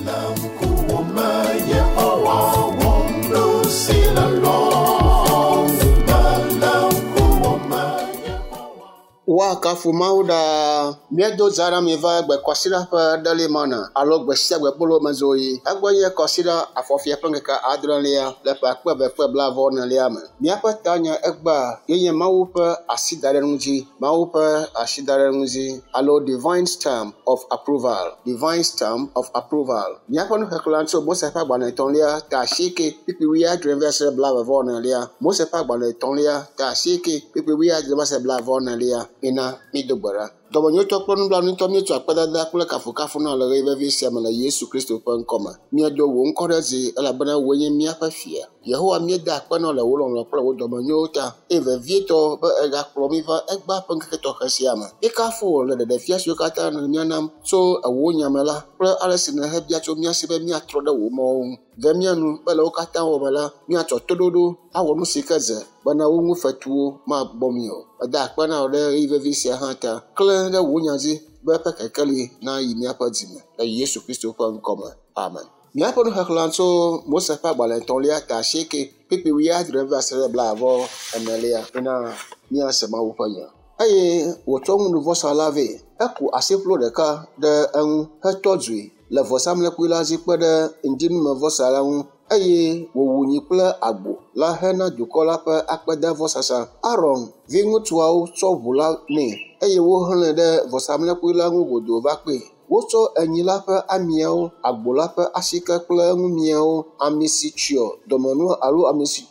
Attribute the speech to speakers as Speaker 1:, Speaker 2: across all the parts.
Speaker 1: Le ŋkuwò me Yehowa wɔm nu si le lɔlɔ̃nu me le ŋkuwò me Yehowa.
Speaker 2: Woakafu Mawu ɖaa. Míedo dza na mi va egbe kɔsiɖa ƒe ɖeli mana alo gbe sia gbe kpolo mezoɣi. Egbɔ nye kɔsiɖa afɔfia ƒe ŋkeke adrelia le ƒe akpe eve kple blaeve enelia me. Míaƒe tanya egbea ye nye Mawu ƒe asidaɖeŋu dzi. Mawu ƒe asidaɖeŋu dzi alo divine stamp of approval. Divine stamp of approval. Míaƒe nuxexlẽ tso Mose ƒe agbalẽ etɔ̃lia ta asieke kpukpui wuiadre va se ɖe blaeve vɔ enelia. Mose ƒe agbalẽ etɔ̃lia ta asieke kpukpui wuiadre va se ɖe blaeve vɔ enelia. Mina mído gbe ɖa. Dɔmenyotɔ kple nublanuitɔ míetsɔ akpedada kple kafukafu na le ɣeyiɣi vevi sia me le Yesu Kristo ƒe ŋkɔme. Míedo wò ŋkɔ ɖe dzi elabena wòe nye míaƒe fia. Yehowa míeda akpe na wò le wò lɔlɔ̃ kple wò dɔmenyowo ta eye vevietɔ be ègakplɔ mí va egbea ƒe ŋkeke tɔxɛ sia me. Míekafu wò le ɖeɖefia siwo katã nèle mía nam tso wò nya me la kple ale si nèhebia tso mía si be míatrɔ ɖe wò mɔwo ŋu. Ve mía nu be le wo katã wɔ me la, míatsɔ toɖoɖo awɔ nu si ke dze bena wo ŋu fetuwo magbɔ mí o. Meda akpe na wò ɖe ɣeyiɣi vevi sia hã ta. Klẽ ɖe wò nya dzi be eƒe kekeli nayi míaƒe dzime le Yesu Kristo ƒe ŋkɔme. Amen. Míaƒe nuxexlẽ tso Mose ƒe agbalẽ etɔ̃lia ta asieke kpukpui wuiadre va se ɖe blaeve enelia bena míase Mawu ƒe nya. Eye wòtsɔ nuvɔsa la vɛ. Eku asiƒlo ɖeka ɖe eŋu hetɔ dzoe le vɔsamlekpui la dzi kpe ɖe ŋdinumevɔsa la ŋu eye wòwu nyi kple agbo la hena dukɔ la ƒe akpedavɔsasa. Aron viŋutsuawo tsɔ ʋu la nɛ eye wohlẽe ɖe vɔsamlekpui la ŋu godoo va kpee. Wotsɔ enyi la ƒe amiawo, agbo la ƒe asike kple eŋumiawo, ami si tsyɔ dɔmenua alo ami si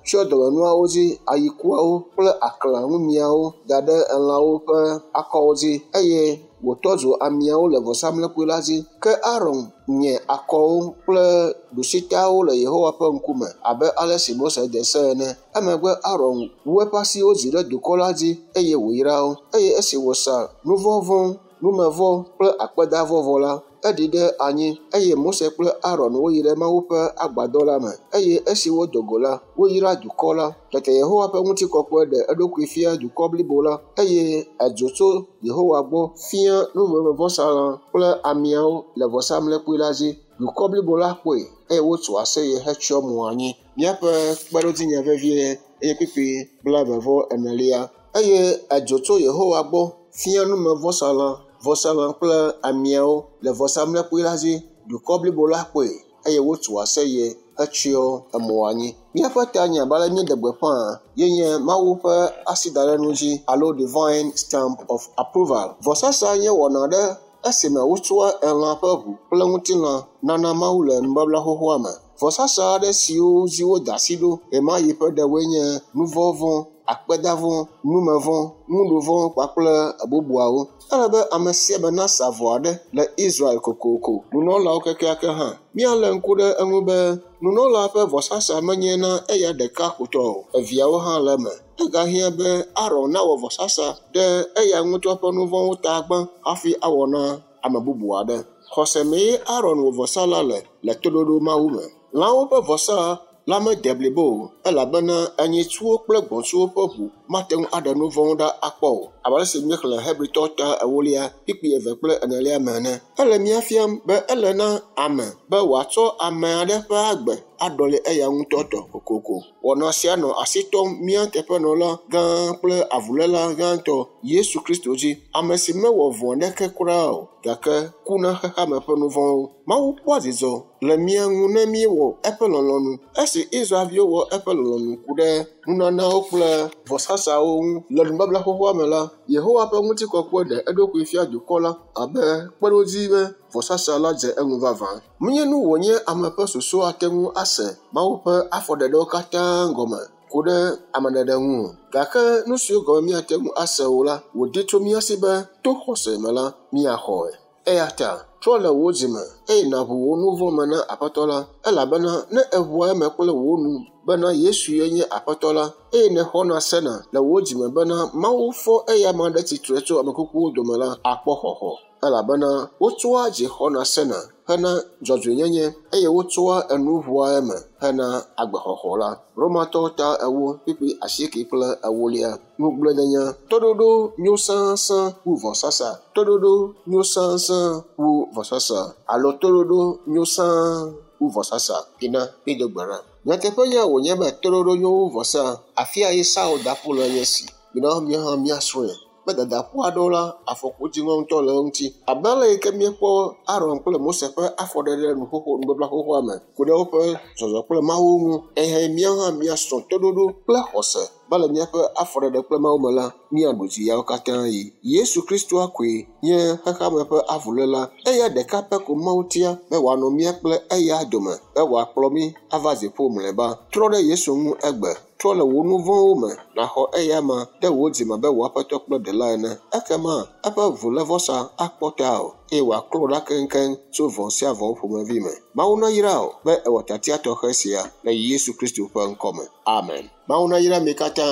Speaker 2: tsyɔ dɔmenuawo dzi, ayikuawo kple aklã ŋumiawo da ɖe elãwo ƒe akɔwo dzi eye wòtɔ dzo amiawo le vɔsamlekpui la dzi. Ke Aron nye akɔwo kple ɖusitawo le Yehowa ƒe ŋkume abe ale si Mose de se ene. Emegbe Aron wu eƒe asiwo dzi ɖe dukɔ la dzi eye wòyra wo. Eye esi wòsa nuvɔ̃vɔ, numevɔ kple akpedavɔ vɔ la, eɖi ɖe anyi eye Mose kple Aron woyi ɖe Mawu ƒe agbadɔ la me eye esi wodo go la, woyra dukɔ la. Tete Yehowa ƒe ŋutikɔkɔe ɖe eɖokui fia dukɔ blibo la eye edzo tso Yehowa gbɔ fia numevɔsalã kple amiawo le vɔsamlekpui la dzi. Dukɔ blibo la kpɔe eye wotso aseye hetsyɔ mo anyi. Míaƒe kpeɖodzinya vevie eye kpukpui blaeve vɔ enelia. Eye edzo tso Yehowa gbɔ fia numevɔsalã, vɔsalã kple amiawo le vɔsamlekpui la dzi. Dukɔ blibo la kpɔe eye wotso aseye hetsyɔ emo anyi. Míaƒe tanya abe ale míeɖe gbeƒã ye nye Mawu ƒe asidaɖeŋu dzi alo divine stamp of approval. Vɔsasa nye wɔna ɖe esime wotsɔa elã ƒe ʋu kple ŋutilã nana Mawu le nubabla xoxoa me. Vɔsasa aɖe siwo dzi woda asi ɖo ɣemaɣi ƒe ɖewoe nye nuvɔ̃vɔ, akpedavɔ, numevɔ, nuɖuvɔ kpakple bubuawo. Ele be ame sia ame nasa vɔ aɖe le Israel kokoko, nunɔlawo kekeake hã. Míalé ŋku ɖe eŋu be nunɔla ƒe vɔsasa menye na eya ɖeka ko tɔ o, eviawo hã le eme. Egahiã be Aron nawɔ vɔsasa ɖe eya ŋutɔ ƒe nuvɔ̃wo ta gbã hafi awɔ na ame bubu aɖe. Xɔse mee Aron wɔ vɔsa la le le toɖoɖo Mawu me. Lãwo ƒe vɔsa la mede blibo o elabena enyitsuwo kple gbɔ̃tsuwo ƒe ʋu mate ŋu aɖe nu vɔ̃wo ɖa akpɔ o abe ale si míexlẽ Hebritɔ ta ewolia kpukpui eve kple enelia me ene. Ele mía fiam be ele na ame be wòatsɔ ame aɖe ƒe agbe aɖɔli eya ŋutɔ tɔ kokoko. Wɔna sia nɔ asi tɔm mía teƒenɔla gã kple avuléla gãtɔ Yesu Kristo dzi, ame si mewɔ vɔ̃ aɖeke kura o gake ku na xexeame ƒe nu vɔ̃wo. Mawu kpɔa dzidzɔ le mía ŋu ne míewɔ eƒe lɔlɔ̃nu. Esi Israelviwo wɔ eƒe lɔlɔ̃nu ku ɖe nunanawo kple vɔsasawo ŋu le nubabla xoxoa me la, Yehowa ƒe ŋutikɔkɔe ɖe eɖokui fia dukɔ la abe kpeɖodzi be vɔsasa la dze eŋu vavã. Menye nu wònye ame ƒe susu ate ŋu ase Mawu ƒe afɔɖeɖewo katã gɔme ku ɖe ameɖeɖe ŋu o. Gake nu siwo gɔme míate ŋu ase o la, wòdi tso mía si be to xɔse me la, míaxɔe. Eya ta trɔ le wò dzime eye nàʋu wò nu vɔ̃ me na Aƒetɔ la, elabena ne èʋua eme kple wò nu bena Yesu ye nye Aƒetɔ la, eye nèxɔna sena le wò dzime bena Mawu fɔ eyama ɖe tsitre tso ame kukuwo dome la, àkpɔ xɔxɔ. Elabena wotsɔa dzi xɔna sena hena dzɔdzɔenyenye eye wotsɔa enu ʋua eme hena agbexɔxɔ la. Romatɔwo ta 4 kpukpui 8 kple 4. Ŋugbledenya toɖoɖo nyo sãsã wu vɔsasa. Toɖoɖo nyo sãsã wu vɔsasa alo toɖoɖo nyo sãa wu vɔsasa. Ina mído gbe ɖa. Nyateƒenya wònye be toɖoɖo nyo wu vɔsa. Afia yi Saul da ƒu le nye si. Mina míawo hã míasrɔ̃e. Be dadaƒu aɖewo la, afɔku dziŋɔ ŋutɔ le eŋuti. Abe ale yi ke míekpɔ Aron kple Mose ƒe afɔɖeɖe nuxoxo nubabla xoxoa me ku ɖe woƒe zɔzɔ kple Mawu ŋu. Ehe míawo hã míasrɔ̃ toɖoɖo kple xɔse be le míaƒe afɔɖeɖe kple Mawu me la, míaɖu dzi yawo katã yi. Yesu Kristoa koe nye xexeame ƒe avuléla. Eya ɖeka pɛ ko Mawu tia be wòanɔ mía kple eya dome be wòakplɔ mí ava dziƒo mlɔeba. Trɔ ɖe Yesu ŋu egbe. Trɔ le wò nu vɔ̃wo me nàxɔ eya ma ɖe wò dzime be wò Aƒetɔ kple Ɖela ene. Ekema eƒe ʋulévɔsa akpɔ tawò eye wòaklɔ ɖa keŋkeŋ tso vɔ̃ sia vɔ̃ ƒomevi me. Mawu nayra wò be èwɔ tiatia tɔxɛ sia le Yesu Kristo ƒe ŋkɔ me. Amen. Mawu nayra mi katã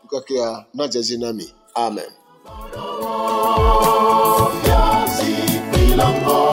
Speaker 2: ŋkekea nadze edzi na mi. Amen.
Speaker 1: Fiazikpui la ŋgɔ.